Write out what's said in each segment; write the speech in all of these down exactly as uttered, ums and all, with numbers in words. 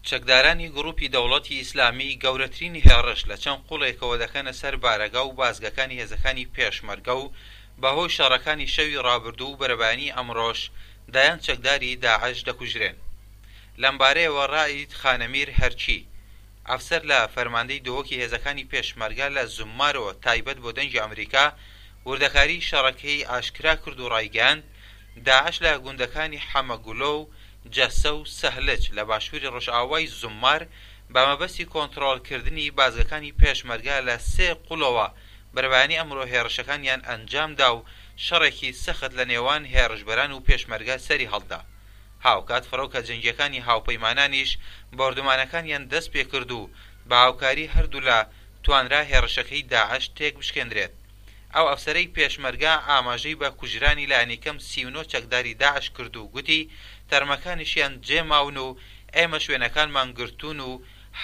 چەکدارانی گروپی دەوڵەتی ئیسلامی گەورەترین هێڕش لە چەند قوڵێکەوە دەکەنە سەر بارەگا و بازگەکانی هێزەکانی پێشمەرگە و بەهۆی شەڕەکانی شەوی ڕابردوو و بەرەبەیانی ئەمڕۆش دەیان چەکداری داعش دەکوژرێن. لەمبارەیەوە ڕائید خانەمیر هەرکی، ئەفسەر لە فەرماندەی دهۆکی هێزەکانی پێشمەرگە لە زوممارەوە تایبەت بۆ دەنگی ئەمریکا وردەکاری شەڕەکەی ئاشکرا کرد و ڕایگەیاند داعش لە گوندەکانی حەمەگولۆ و جەسە و سەهلج لە باشووری ڕۆژئاوای زوممار بە مەبەستی کۆنترۆڵکردنی بازگەکانی پێشمەرگە لە سێ قوڵەوە بەرەبەیانی ئەمڕۆ هێرشەکانیان ئەنجامدا و شەڕێکی سەخت لە نێوان هێرشبەران و پێشمەرگە سەری هەڵدا. هاوکات فڕۆکە جەنگیەکانی هاوپەیمانانیش بۆردومانەکانیان دەست پێکرد و بە هاوکاری هەردوولا توانرا هێرشەکەی داعش تێک بشکێندرێت. ئەو ئەفسەرەی پێشمەرگە ئاماژەی بە کوژرانی لانیکەم سی و نۆ چەکداری داعش کرد و گوتی تەرمەکانیشیان جێماون و ئێمە شوێنەکانمان گرتوون و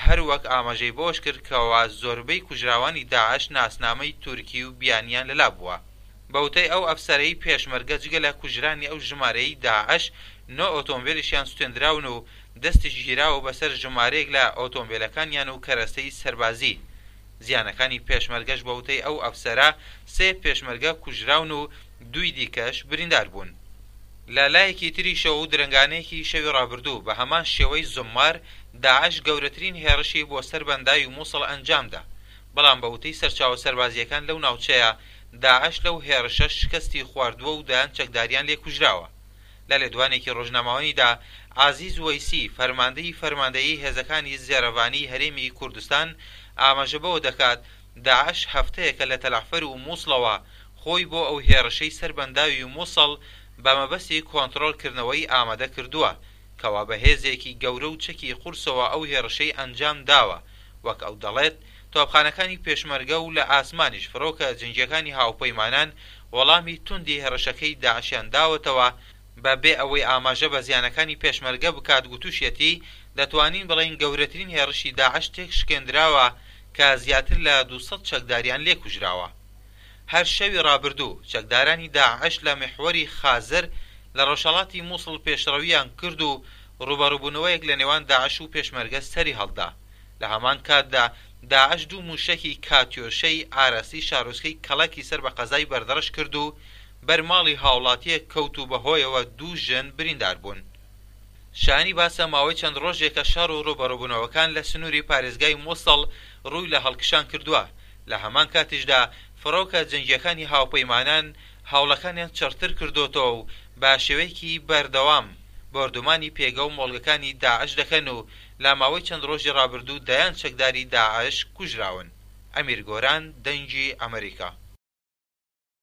هەروەک ئاماژەی بەوەش کرد کەوا زۆربەی کوژراوانی داعش ناسنامەی تورکی و بیانیان لەلا بووە. بە وتەی ئەو ئەفسەرەی پێشمەرگە جگە لە کوژرانی ئەو ژمارەیەی داعش نۆ ئۆتۆمبیلیشیان سوتێندراون و دەستیش گیراوە بەسەر ژمارەیەک لە ئۆتۆمبیلەکانیان و کەرەستەی سەربازی. زیانەکانی پێشمەرگەش بە وتەی ئەو ئەفسەرە سێ پێشمەرگە کوژراون و دووی دیکەش بریندار بوون. لە لایەکی تریشەوە و درەنگانەیەکی شەوی ڕابردوو بە هەمان شێوەی زوممار داعش گەورەترین هێڕشی بۆ سەر بەنداوی مووسڵ ئەنجامدا، بەڵام بە وتەی سەرچاوە سەربازیەکان لەو ناوچەیە داعش لەو هێرشە شکستی خواردووە و دەیان چەکداریان لێ کوژراوە. لە لێدوانێکی ڕۆژنامەوانیدا عەزیز وەیسی فەرماندەی فەرماندەیی هێزەکانی زێرەڤانی هەرێمی کوردستان ئاماژە بەوە دەکات داعش هەفتەیەکە لە تەلەعفەر و مووسڵەوە خۆی بۆ ئەو هێرشەی سەر بەنداوی مووسڵ بە مەبەستی کۆنترۆڵکردنەوەی ئامادە کردووە، کەوا بە هێزێکی گەورە و چەکی قورسەوە ئەو هێرشەی ئەنجام داوە. وەک ئەو دەڵێت تۆپخانەکانی پێشمەرگە و لە ئاسمانیش فڕۆکە جەنگیەکانی هاوپەیمانان وەڵامی توندی هێرشەکەی داعشیان داوەتەوە، بە بێ ئەوەی ئاماژە بە زیانەکانی پێشمەرگە بکات گوتوشیەتی دەتوانین بڵێین گەورەترین هێرشی داعش تێک شکێندراوە کە زیاتر لە دوو سەد چەکداریان لێکوژراوە. هەر شەوی ڕابردوو چەکدارانی داعش لە میحوەری خازر لە ڕۆژهەڵاتی مووسڵ پێشڕەویان کرد و ڕووبەڕووبوونەوەیەک لە نێوان داعش و پێشمەرگە سەری هەڵدا. لە هەمان کاتدا داعش دوو مووشەکی کاتیۆشەی ئاراستەی شارۆچکەی کەڵەکی سەر بە قەزای بەردەڕەش کرد و بەر ماڵی هاوڵاتیەک کەوت و بەهۆیەوە دوو ژن بریندار بوون. شایانی باسە ماوەی چەند ڕۆژێکە شەڕ و ڕووبەڕووبوونەوەکان لە سنووری پارێزگای مووسڵ ڕووی لە هەڵکشان کردووە، لە هەمان کاتیشدا فڕۆکە جەنگیەکانی هاوپەیمانان هەوڵەکانیان چڕتر کردۆتەوە و بە شێوەیەکی بەردەوام بۆردومانی پێگە و مۆڵگەکانی داعش دەکەن و لە ماوەی چەند ڕۆژی ڕابردوو دەیان چەکداری داعش کوژراون. ئەمیر گۆران، دەنگی ئەمریکا.